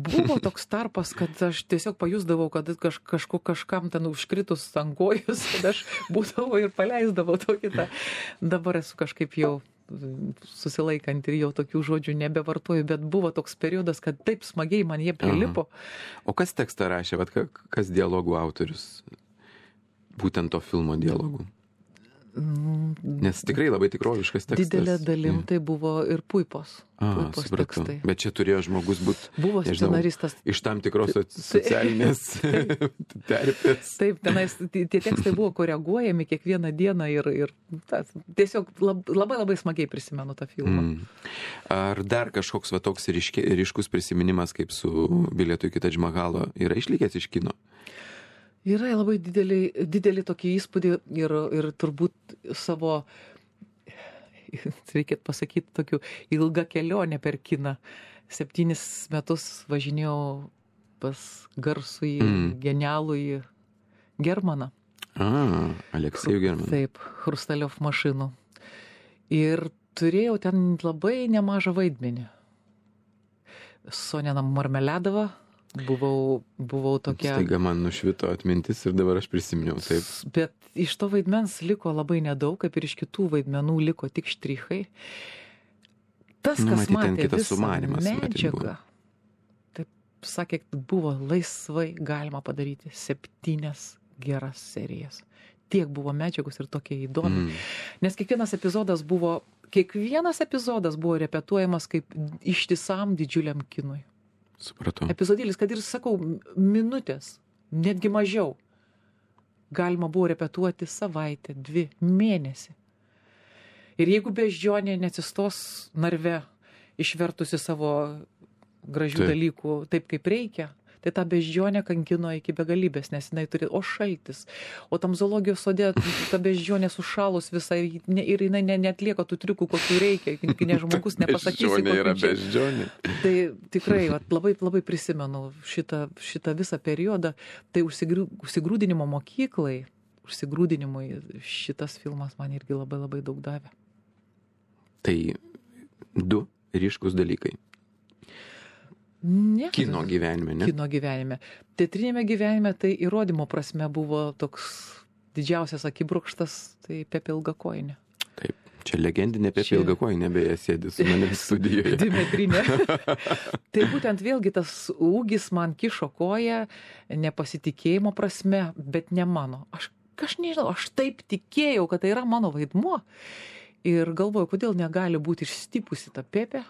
Buvo toks tarpas, kad aš tiesiog pajusdavau, kad kažkam ten užkritus ant kojus, kad aš būdavau ir paleisdavau tokį tą. Dabar esu kažkaip jau susilaikant ir jau tokių žodžių nebevartoju, bet buvo toks periodas, kad taip smagiai man jie prilipo. O kas tekstą rašė, kas dialogų autorius? Būtent to filmo dialogų. Nes tikrai labai tikroviškas tekstas. Didelė dalim tai buvo ir Puipos tekstai. Bet čia turėjo žmogus būti, buvo scenaristas. Iš tam tikros socialinės terpės. Taip, tenais tie tekstai buvo koreguojami kiekvieną dieną ir tiesiog labai smagiai prisimenu tą filmą. Ar dar kažkoks va toks ryškus prisiminimas kaip su Bilietu iki Tadž Mahalo yra išlikęs iš kino? Yra labai didelį tokį įspūdį ir turbūt savo, reikėtų pasakyti, tokių ilgą kelionę per kiną. 7 metus važinėjau pas garsųjį, genialųjį Germaną. Aleksejų Germaną. Taip, Hrustaliov mašinų. Ir turėjau ten labai nemažą vaidmenį. Sonena Marmeladova. Buvau tokia... Staiga man nušvito atmintis ir dabar aš prisiminiau, taip. Bet iš to vaidmens liko labai nedaug, kaip ir iš kitų vaidmenų liko tik štrichai. Tas, kas matė visą medžiagą, taip sakė, buvo laisvai galima padaryti 7 geras serijas. Tiek buvo medžiagos ir tokie įdomi. Nes kiekvienas epizodas buvo repetuojamas kaip ištisam didžiuliam kinui. Supratau. Epizodėlis, kad ir, sakau, minutės, netgi mažiau, galima buvo repetuoti savaitę, 2 mėnesį. Ir jeigu beždžionė neatsistos narve, išvertusi savo gražių dalykų taip, kaip reikia, tai tą beždžionę kankino iki begalybės, nes jinai turi, šaltis. O tam zoologijos sode ta beždžionė sušalus visai ir jinai neatlieka tų triukų, kokių reikia, nes žmogus nepasakysi. Beždžionė yra beždžionė. Tai tikrai labai prisimenu šitą visą periodą. Tai užsigrūdinimo mokyklai, užsigrūdinimui šitas filmas man irgi labai daug davė. Tai 2 ryškus dalykai. Ne. Kino gyvenime, ne? Kino gyvenime. Teatrinėme gyvenime tai įrodymo prasme buvo toks didžiausias akibrokštas, tai Pepė Ilgakojinė. Taip, čia legendinė Pepė Ilgakojinė, beje, sėdi su manim studijoje. Dimetrinė. Tai būtent vėlgi tas ūgis man kišo koją, nepasitikėjimo prasme, bet ne mano. Aš nežinau, aš taip tikėjau, kad tai yra mano vaidmuo. Ir galvoju, kodėl negali būti išstipusi ta Pepė.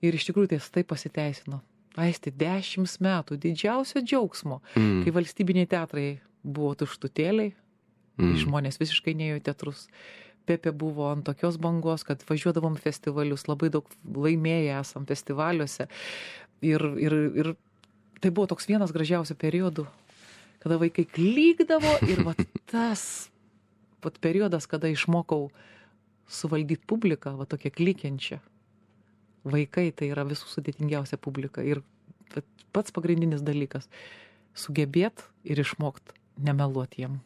Ir iš tikrųjų tai pasiteisino. Aisti 10 metų didžiausio džiaugsmo, kai valstybiniai teatrai buvo tuštutėliai, žmonės visiškai neėjo į teatrus. Pepė buvo ant tokios bangos, kad važiuodavom festivalius, labai daug laimėję esam festivaliuose. Ir tai buvo toks vienas gražiausių periodų, kada vaikai klykdavo ir tas periodas, kada išmokau suvaldyti publiką, tokią klykiančią. Vaikai tai yra visų sudėtingiausia publika ir pats pagrindinis dalykas - sugebėt ir išmokt nemeluoti jiem.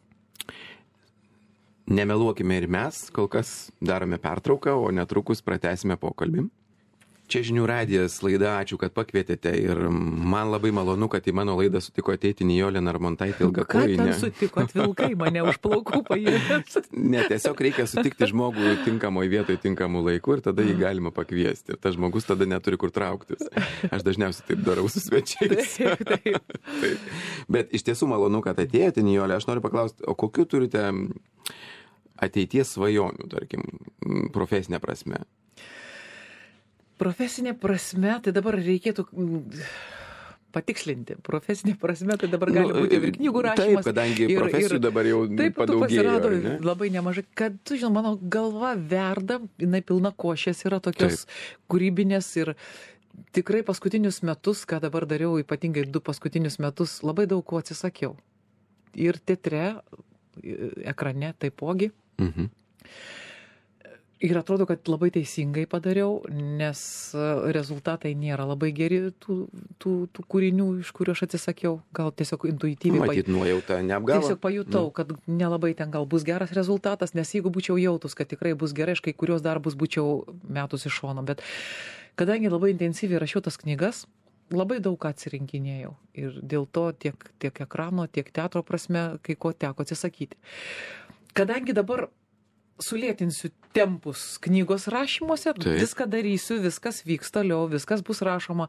Nemeluokime ir mes, kol kas darome pertrauką, o netrukus pratęsime pokalbį. Čia Žinių radijas laida, ačiū, kad pakvietėte ir man labai malonu, kad į mano laidą sutiko ateiti Nijolė Narmontaitė Ilgakojinė. Ką ten sutikot, vilkai mane už plaukų paėmė? Ne, tiesiog reikia sutikti žmogų tinkamoje vietoje, tinkamų laikų ir tada jį galima pakviesti. Ir tas žmogus tada neturi kur trauktis. Aš dažniausiai taip darau su svečiais. Taip. Bet iš tiesų malonu, kad atėjote, Nijolė. Aš noriu paklausti, o kokiu turite ateities svajonių, tarkim, profesinė prasme? Profesinė prasme, tai dabar reikėtų patikslinti. Profesinė prasme, tai dabar gali būti ir knygų rašymas. Taip, kadangi profesijų dabar jau taip, padaugėjo. Pasirado labai nemažai. Kad, tu žinai, mano galva verda, jinai pilna košės yra tokios kūrybinės ir tikrai paskutinius metus, ką dabar dariau, ypatingai 2 paskutinius metus, labai daug ko atsisakiau. Ir teatre, ekrane taipogi. Ir atrodo, kad labai teisingai padariau, nes rezultatai nėra labai geri tų kūrinių, iš kurių aš atsisakiau. Gal tiesiog intuityviai. Matyt, nuojauta neapgavo. Tiesiog pajutau, kad nelabai ten gal bus geras rezultatas, nes jeigu būčiau jautus, kad tikrai bus gerai, aš kai kurios darbus būčiau metus iš šono. Bet kadangi labai intensyviai rašiau tas knygas, labai daug ką atsirinkinėjau. Ir dėl to tiek ekrano, tiek teatro prasme, kai ko teko atsisakyti. Kadangi dabar sulėtinsiu tempus knygos rašymuose, viską darysiu, viskas vyks toliau, viskas bus rašoma,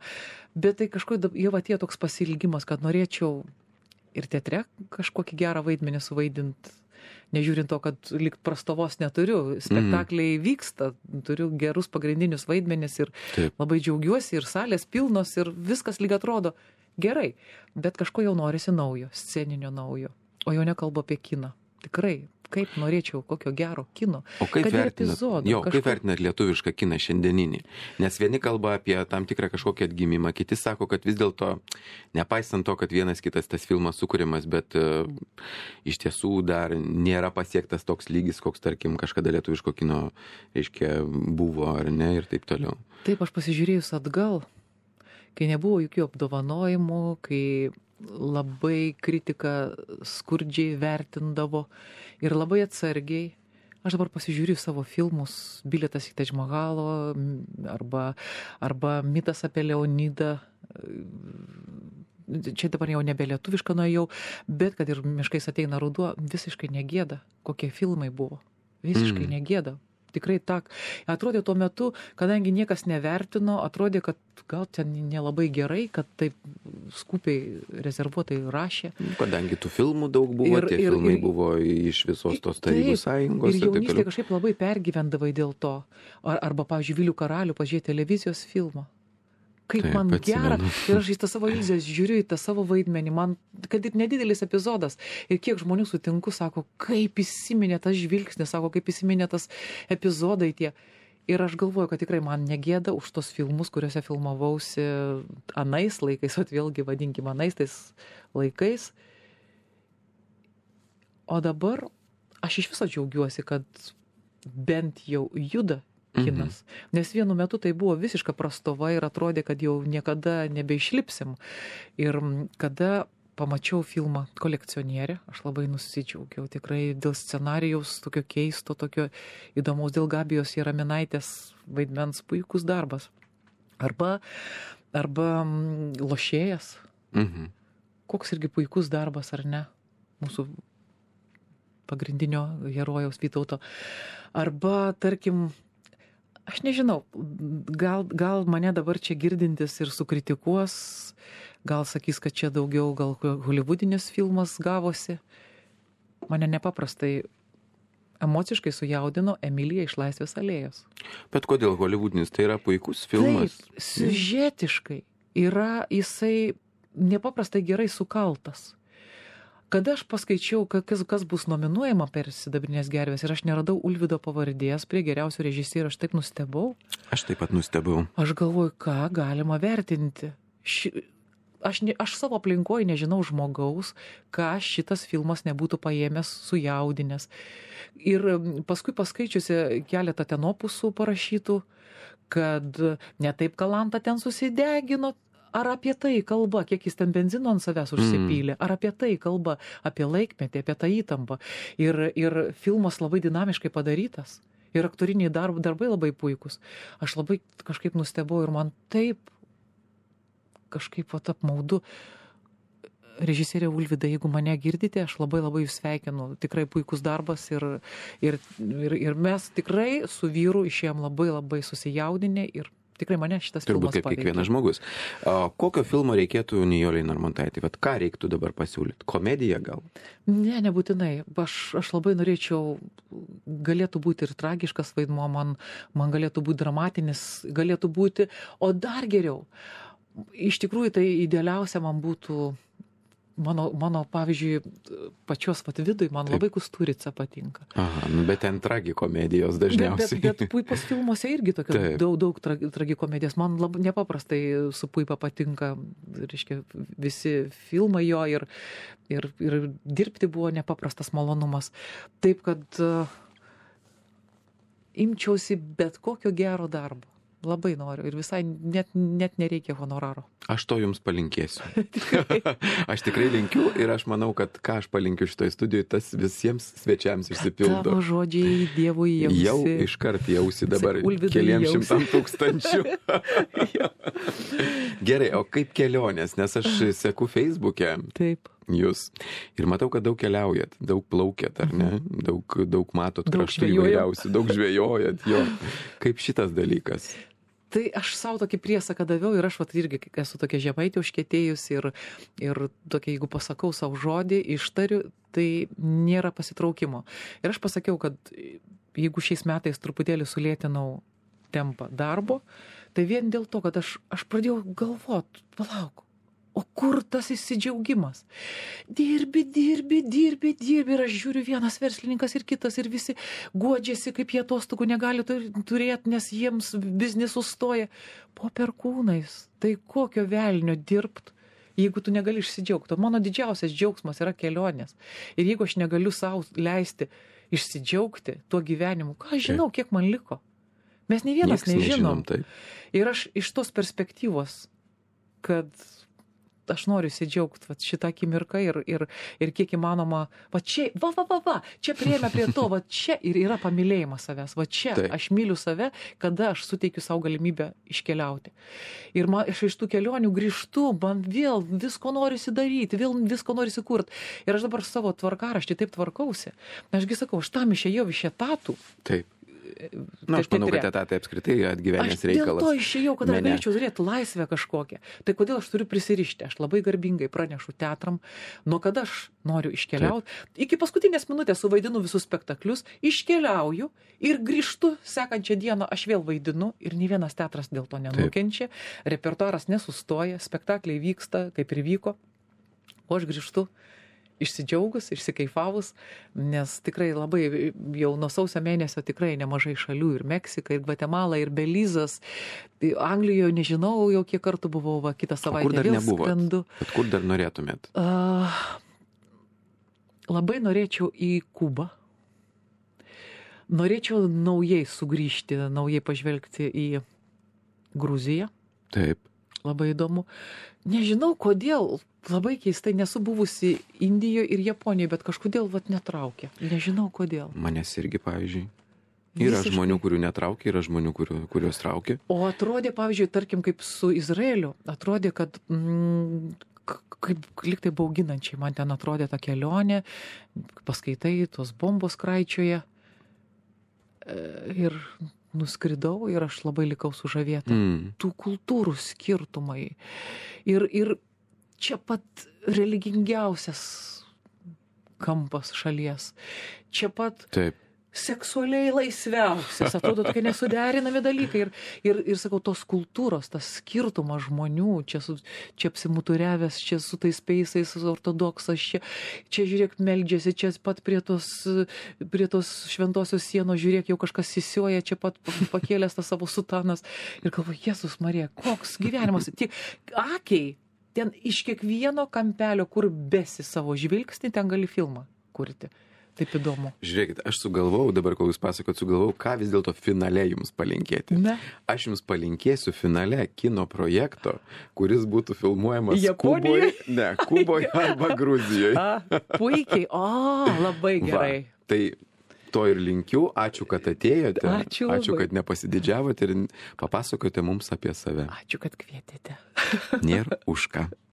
bet tai kažkaip jau atėjo toks pasilgimas, kad norėčiau ir teatre kažkokį gerą vaidmenį suvaidinti, nežiūrint to, kad lyg prastovos neturiu, spektakliai vyksta, turiu gerus pagrindinius vaidmenis ir labai džiaugiuosi, ir salės pilnos, ir viskas lyg atrodo gerai, bet kažko jau norisi naujo, sceninio naujo, o jau nekalbu apie kiną. Tikrai, kaip norėčiau kokio gero kino. O kaip vertinat lietuvišką kiną šiandieninį? Nes vieni kalba apie tam tikrą kažkokį atgimimą, kiti sako, kad vis dėlto, nepaisant to, kad vienas kitas tas filmas sukūrimas, bet iš tiesų dar nėra pasiektas toks lygis, koks, tarkim, kažkada lietuviško kino, reiškia, buvo ar ne ir taip toliau. Taip, aš pasižiūrėjus atgal, kai nebuvo jokių apdovanojimų, kai labai kritiką skurdžiai vertindavo ir labai atsargiai. Aš dabar pasižiūriu savo filmus, Bilietas į Tadž Mahalo arba Mitas apie Leonidą. Čia dabar jau nebe lietuvišką nuėjau, bet kad ir Miškais ateina ruduo, visiškai negėda, kokie filmai buvo. Visiškai negėda. Tikrai tak. Atrodė tuo metu, kadangi niekas nevertino, atrodė, kad gal ten nelabai gerai, kad taip skupiai rezervuotai rašė. Kadangi tų filmų daug buvo, filmai buvo iš visos tos Tarybų Sąjungos. Ir jaunystėje kažkaip labai pergyvendavai dėl to. Arba, pavyzdžiui, Vilių karalių pažiūrėti televizijos filmą. Kaip taip, man gera. Ir aš į tą savo iliuzijas žiūriu, į tą savo vaidmenį. Man, kad ir nedidelis epizodas. Ir kiek žmonių sutinku, sako, kaip įsiminė tas žvilgsnis, sako, kaip įsiminė tas epizodai tie. Ir aš galvoju, kad tikrai man negėda už tos filmus, kuriuose filmavausi anais laikais, o vėlgi vadinkim anais tais laikais. O dabar aš iš viso džiaugiuosi, kad bent jau juda kinas. Nes vienu metu tai buvo visiška prastova ir atrodė, kad jau niekada nebeišlipsim. Ir kada pamačiau filmą Kolekcionierė, aš labai nusidžiaugiau. Tikrai dėl scenarijaus tokio keisto, tokio įdomaus, dėl Gabijos Jaraminaitės vaidmens puikus darbas. Arba Lošėjas. Koks irgi puikus darbas, ar ne? Mūsų pagrindinio herojaus Vytauto. Arba, tarkim, aš nežinau, gal mane dabar čia girdintis ir sukritikuos, gal sakys, kad čia daugiau gal holivudinis filmas gavosi. Mane nepaprastai emociškai sujaudino Emilija iš Laisvės alėjos. Bet kodėl holivudinis? Tai yra puikus filmas. Taip, siužetiškai yra jisai nepaprastai gerai sukaltas. Kada aš paskaičiau, kas bus nominuojama per Sidabrinės gervės ir aš neradau Ulvydo pavardės prie geriausio režisierių, aš taip nustebau. Aš taip pat nustebau. Aš galvoju, ką galima vertinti. Aš savo aplinkoje nežinau žmogaus, ką šitas filmas nebūtų paėmęs, sujaudinęs. Ir paskui paskaičiusi keletą ten opusų parašytų, kad ne taip Kalanta ten susidegino. Ar apie tai kalba, kiek jis ten benzino ant savęs užsipylė, ar apie tai kalba, apie laikmetį, apie tą įtampą. Ir filmas labai dinamiškai padarytas. Ir aktoriniai darbai labai puikus. Aš labai kažkaip nustebau ir man taip kažkaip apmaudu. Režisierė Ulvyda, jeigu mane girdite, aš labai jūs sveikinu. Tikrai puikus darbas ir mes tikrai su vyru išėjom labai susijaudinę ir tikrai mane šitas filmas paveikė. Turbūt kaip kiekvienas žmogus. Kokio filmo reikėtų Nijolei Narmontaitei? Vat ką reiktų dabar pasiūlyti? Komediją gal? Ne, nebūtinai. Aš labai norėčiau, galėtų būti ir tragiškas vaidmuo, man galėtų būti dramatinis, galėtų būti, o dar geriau. Iš tikrųjų, tai idealiausia man būtų mano pavyzdžiui, pačios vidui, man labai Kusturica patinka. Aha, bet ten tragikomedijos dažniausiai. Bet Puipos filmuose irgi daug tragikomedijos. Man labai nepaprastai su Puipa patinka, reiškia, visi filmai jo ir dirbti buvo nepaprastas malonumas. Taip, kad imčiausi bet kokio gero darbo. Labai noriu ir visai net nereikia honoraro. Aš to jums palinkėsiu. Aš tikrai linkiu ir aš manau, kad ką aš palinkiu šitoje studijoje, tas visiems svečiams išsipildo. Tavo žodžiai Dievui jausi. Jau iškart jausi dabar keliems šimtam tūkstančių. Gerai, o kaip kelionės? Nes aš seku Facebook'e. Taip. Jūs. Ir matau, kad daug keliaujat, daug plaukėt, ar ne? Daug matot kraštų įvairiausių, daug žvejojat. Jo. Kaip šitas dalykas? Tai aš savo tokį priesaką daviau ir aš irgi esu tokia žemaitė užkietėjus ir tokia, jeigu pasakau savo žodį, ištariu, tai nėra pasitraukimo. Ir aš pasakiau, kad jeigu šiais metais truputėlį sulėtinau tempą darbo, tai vien dėl to, kad aš pradėjau galvot, palauk, o kur tas įsidžiaugimas? Dirbi ir aš žiūriu vienas verslininkas ir kitas ir visi guodžiasi, kaip jie atostogų negali turėti, nes jiems biznis sustoja. Po perkūnais, tai kokio velnio dirbt, jeigu tu negali išsidžiaugti? Mano didžiausias džiaugsmas yra kelionės. Ir jeigu aš negaliu savo leisti išsidžiaugti tuo gyvenimu, ką aš žinau, kiek man liko? Mes nei vienas nežinom. Ir aš iš tos perspektyvos, kad aš noriu įsidžiaugti šitą akimirką ir kiek įmanoma, čia priėmė prie to, čia ir yra pamilėjimas savęs, čia aš myliu save, kada aš suteikiu savo galimybę iškeliauti. Ir aš iš tų kelionių grįžtu, man vėl visko norisi daryti, vėl visko norisi kurti. Ir aš dabar savo tvarkaraštį taip tvarkausi. Ašgi sakau, aš tam išėjau iš etatų. Taip. Na, aš manau, kad etatai apskritai atgyvenęs reikalas. Aš dėl to išėjau, kad aš galėčiau turėti laisvę kažkokią. Tai kodėl aš turiu prisirišti? Aš labai garbingai pranešu teatram, nuo kada aš noriu iškeliauti. Iki paskutinės minutės suvaidinu visus spektaklius, iškeliauju ir grįžtu sekančią dieną, aš vėl vaidinu ir nei vienas teatras dėl to nenukenčia. Repertuaras nesustoja, spektakliai vyksta, kaip ir vyko. O aš grįžtu išsidžiaugus, išsikaifavus, nes tikrai labai jau nuo sausio mėnesio tikrai nemažai šalių, ir Meksika, ir Gvatemala, ir Belizas. Anglijoje nežinau, jau kiek kartų buvau, kitą savaitę vėl skrendu. Bet kur dar norėtumėt? Labai norėčiau į Kubą. Norėčiau naujai sugrįžti, naujai pažvelgti į Gruziją. Taip. Labai įdomu. Nežinau, kodėl, labai keistai, nesu buvusi Indijoje ir Japonijoje, bet kažkodėl netraukia. Nežinau, kodėl. Manęs irgi, pavyzdžiui. Yra žmonių, kurių netraukia, yra žmonių, kurios traukia. O atrodė, pavyzdžiui, tarkim, kaip su Izraeliu, atrodė, kad kaip liktai bauginančiai man ten atrodė ta kelionė, paskaitai, tos bombos kraičioje ir nuskridau ir aš labai likau sužavėta. Tų kultūrų skirtumai. Ir čia pat religingiausias kampas šalies. Čia pat seksualiai laisviausias. Atrodo, tokie nesuderinami dalykai. Ir sakau, tos kultūros, tas skirtumas žmonių, čia apsimuturiavęs, čia su tais peisais ortodoksas, čia žiūrėk, meldžiasi, čia pat prie tos šventosios sienos, žiūrėk, jau kažkas sisioja, čia pat pakėlęs tas savo sutanas. Ir galvoju, Jėzus Marija, koks gyvenimas. Tiek akiai, ten iš kiekvieno kampelio, kur besi savo žvilgsnį, ten gali filmą kurti. Taip įdomu. Žiūrėkit, aš sugalvojau, dabar kol jūs pasakot, ką vis dėlto finale jums palinkėti. Aš jums palinkėsiu finale kino projekto, kuris būtų filmuojamas Kuboje, Kuboje arba Gruzijoje. Puikiai, labai gerai. Tai to ir linkiu, ačiū, kad atėjote, ačiū, kad nepasididžiavote ir papasakote mums apie save. Ačiū, kad kvietėte. Nėra už ką.